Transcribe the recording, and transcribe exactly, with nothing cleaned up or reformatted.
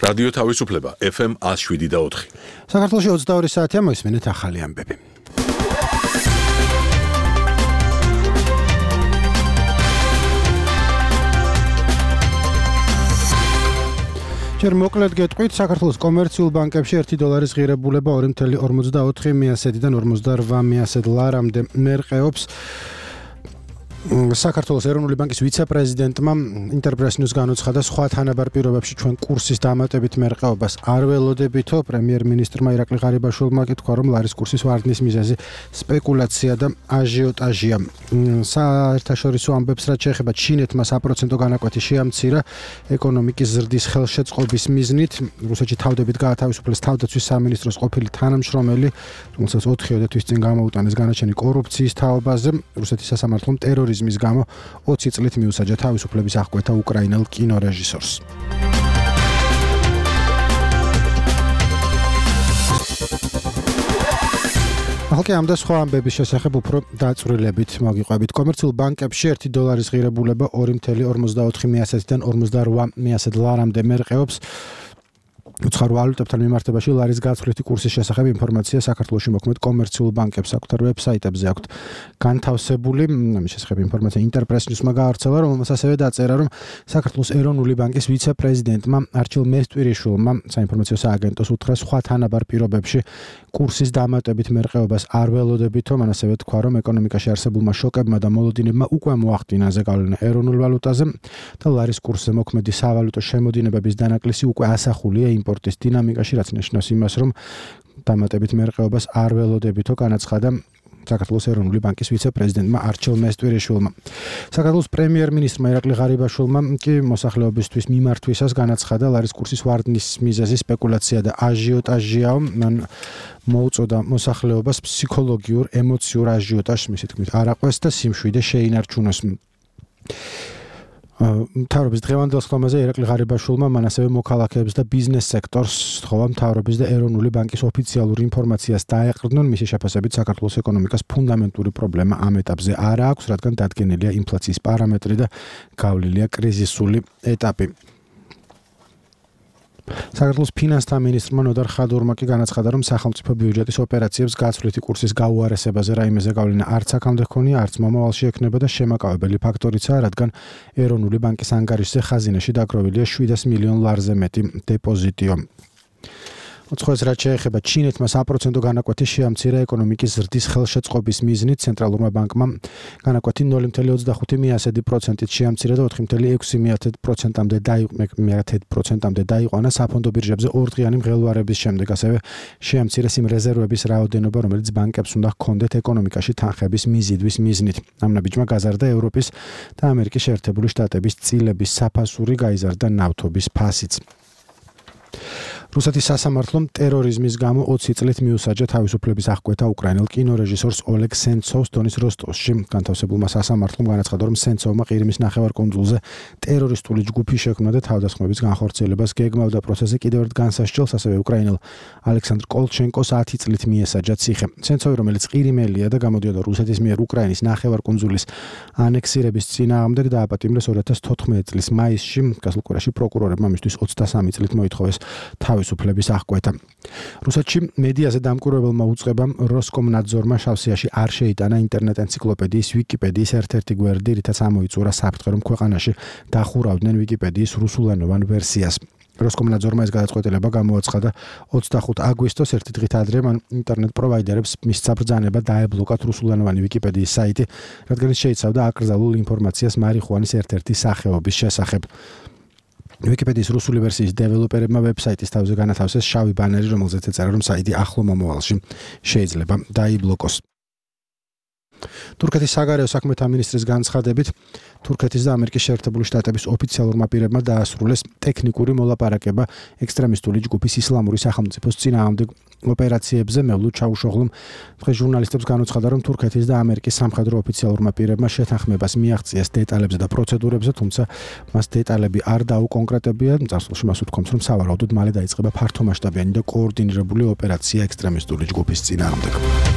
რადიო თავისუფლება ეფ ემ one oh seven და four. საქართველოში ოცდაორი საათია, მოისმენთ ახალი ამბები. ჯერ მოკლედ გეტყვით, საქართველოს კომერციულ ბანკებში ერთი დოლარის ღირებულება ორი virgulă ორმოცდაოთხი მიასედიდან ორმოცდარვაი მიასედ ლარამდე მერყეობს. საქართველოს ეროვნული ბანკის ვიცე-პრეზიდენტმა ინტერპრეს ნიუს განუცხადა, სხვა თანაბარ პირობებში ჩვენ კურსის დამატებით მერყეობას არ ველოდებითო. პრემიერ-მინისტრმა ირაკლი ღარიბაშვილმა კითხვა, რომ ლარის კურსის ვარდნის მიზეზი სპეკულაცია და აჟიოტაჟია. საერთაშორისო ამბებს რაც შეეხება ჩინეთმა საპროცენტო განაკვეთი შეამცირა ეკონომიკის ზრდის ხელშეწყობის მიზნით. რუსეთში თავდებით გაათავისუფლეს თავდაცვის სამინისტროს ყოფილი თანამშრომელი, რომელსაც ოთხი თვის წინ გამოუტანეს განაჩენი კორუფციის თაობაზე. რუსეთის სასამართლომ ტერორიზმის გამო ოცი წლით მიუსაჯა თავისუფლების აღკვეთა უკრაინელ კინორეჟისორს. ახლა ამ და სხვა ამბების შესახებ უფრო დაწვრილებით მოგიყვებით. კომერციულ ბანკებში ერთი დოლარის ღირებულება ორი virgulă ორმოცდაოთხი მიასედიდან ორმოცდარვაი მიასედ ლარამდე მერყეობს. უცხოურ ვალუტებთან მიმართებაში ლარის გაცვლითი კურსის შესახებ ინფორმაცია საქართველოში მოქმედ კომერციულ ბანკებს საკუთარ ვებსაიტებზე აქვთ განთავსებული. ამის შესახებ ინფორმაცია ინტერპრეს ნიუსმა გაავრცელა, რომელმაც ასევე დაწერა, რომ საქართველოს ეროვნული ბანკის ვიცე-პრეზიდენტმა არჩილ მესტვირიშვილმა საინფორმაციო სააგენტოს უთხრა, სხვა თანაბარ პირობებში კურსის დამატებით მერყეობას არ ველოდებითო. მან ასევე თქვა, რომ ეკონომიკაში არსებულმა შოკებმა და მოლოდინებმა უკვე მოახდინა ზეგავლენა ეროვნულ ვალუტაზე და ლარის კურსზე მოქმედი სავალუტო შემოდინებების დანაკლისი უკვე ასახულია იმპორტის დინამიკაში, რაც ნიშნავს იმას, რომ დამატებით მერყეობას არ ველოდებითო, განაცხადა საქართველოს ეროვნული ბანკის ვიცე-პრეზიდენტმა არჩილ მესტვირიშვილმა. საქართველოს პრემიერ-მინისტრმა ირაკლი ღარიბაშვილმა კი მოსახლეობისთვის მიმართვისას განაცხადა, ლარის კურსის ვარდნის მიზეზი სპეკულაცია და აჟიოტაჟია. მან მოუწოდა მოსახლეობას ფსიქოლოგიურ, ემოციურ აჟიოტაჟს, მისი თქმით, არ აყვეს და სიმშვიდე შეინარჩუნოს. მთავრობის დღევანდელ სხდომაზე ირაკლი ღარიბაშვილმა მან ასევე მოქალაქეებს და ბიზნეს სექტორს სთხოვა მთავრობის და ეროვნული ბანკის ოფიციალურ ინფორმაციას დაეყრდნონ. მისი შეფასებით საქართველოს ეკონომიკას ფუნდამენტური პრობლემა ამ ეტაპზე არ აქვს, რადგან დადგენილია ინფლაციის პარამეტრი და გავლილია კრიზისული ეტაპი. საქართველოს ფინანსთა მინისტრმა ნოდარ ხადურმა კი განაცხადა, რომ სახელმწიფო ბიუჯეტის ოპერაციებს გაცვლითი კურსის გაუარესებაზე რაიმე ზეგავლენა არც აქამდე ჰქონია, არც მომავალში ექნება და შემაკავებელი ფაქტორიცაა, რადგან ეროვნული ბანკის ანგარიშზე ხაზინაში დაგროვილია შვიდას მილიონ ლარზე მეტი დეპოზიტიო. ოცხოეს რაც შეეხება ჩინეთმა საპროცენტო განაკვეთი შეამცირა ეკონომიკის ზრდის ხელშეწყობის მიზნით. ცენტრალურმა ბანკმა განაკვეთი ნული virgulă ოცდახუთი მიასედი პროცენტით შეამცირა და ოთხი virgulă ექვსი პროცენტამდე დაიყვანა საფონდო ბირჟებზე ორდღიანი მღელვარების შემდეგ. ასევე შეამცირეს იმ რეზერვების რაოდენობა, რომელიც ბანკებს უნდა ჰქონდეთ ეკონომიკაში თანხების მიზიდვის მიზნით. ამ ნაბიჯმა გაზარდა ევროპის და ამერიკის შეერთებული შტატების წილების საფასური, გაიზარდა ნავთობის ფასიც. რუსეთის სასამართლომ ტერორიზმის გამო ოცი წლით მიუსაჯა თავისუფლების აღკვეთა უკრაინელ კინორეჟისორს ოლეგ სენცოვს დონის როსტოვში. განთავსებულმა სასამართლომ განაცხადა, რომ სენცოვმა ყირიმის ნახევარკუნძულზე ტერორისტული ჯგუფი შექმნა და თავდასხმების განხორციელებას გეგმავდა. პროცესზე კიდევ ერთ განსასჯელს ასევე უკრაინელ ალექსანდრ კოლჩენკოს ათი წლით მიესაჯა ციხე. სენცოვი, რომელიც ყირიმელია და გამოდიოდა რუსეთის მიერ უკრაინის ნახევარკუნძულის ანექსირების წინააღმდეგ, დააპატიმრეს ორი ათას თოთხმეტი წლის მაისში. გასულ კვირაში პროკურორებმა მისთვის ოცდასამი წლით მოითხოვეს თავისუფლების აღკვეთა. რუსეთში მედიაზე დამკვირვებელმა უწყებამ როსკომნაძორმა შავსიაში არ შეიტანა ინტერნეტ ენციკლოპედიის ვიკიპედიის ერთ-ერთი გვერდი, რითაც ამოიწურა საფრთხე, რომ ქვეყანაში დახურავდნენ ვიკიპედიის რუსულენოვან ვერსიას. როსკომნაძორმა ეს გადაწყვეტილება გამოაცხადა ოცდახუთი აგვისტოს, ერთი დღით ადრე მან ინტერნეტ პროვაიდერებს მისცა ბრძანება დაებლოკათ რუსულენოვანი ვიკიპედიის საიტი, რადგან ის შეიცავდა აკრძალულ ინფორმაციას მარიხუანის ერთ-ერთი სახეობის შესახებ. ვიკიპედიის რუსული ვერსიის დეველოპერებმა ვებსაიტის თავზე განათავსეს შავი ბანერი, რომელზეც ეწერა, რომ საიტი ახლო მომავალში შეიძლება დაიბლოკოს. თურქეთის საგარეო საქმეთა მინისტრის განცხადებით, თურქეთის და ამერიკის შეერთებული შტატების ოფიციალურმა პირებმა დაასრულეს ტექნიკური მოლაპარაკება ექსტრემისტული ჯგუფის ისლამური სახელმწიფოს წინააღმდეგ ოპერაციებზე. მევლუ ჩაუშოღლუმ დღეს ჟურნალისტებს განუცხადა, რომ თურქეთის და ამერიკის სამხედრო ოფიციალურმა პირებმა შეთანხმებას მიაღწიეს დეტალებზე და პროცედურებზე, თუმცა მას დეტალები არ დაუკონკრეტებია. წარსულში მას უთქვამს, რომ სავარაუდოდ მალე დაიწყება ფართომასშტაბიანი და კოორდინირებული ოპერაცია ექსტრემისტული ჯგუფის წინააღმდეგ.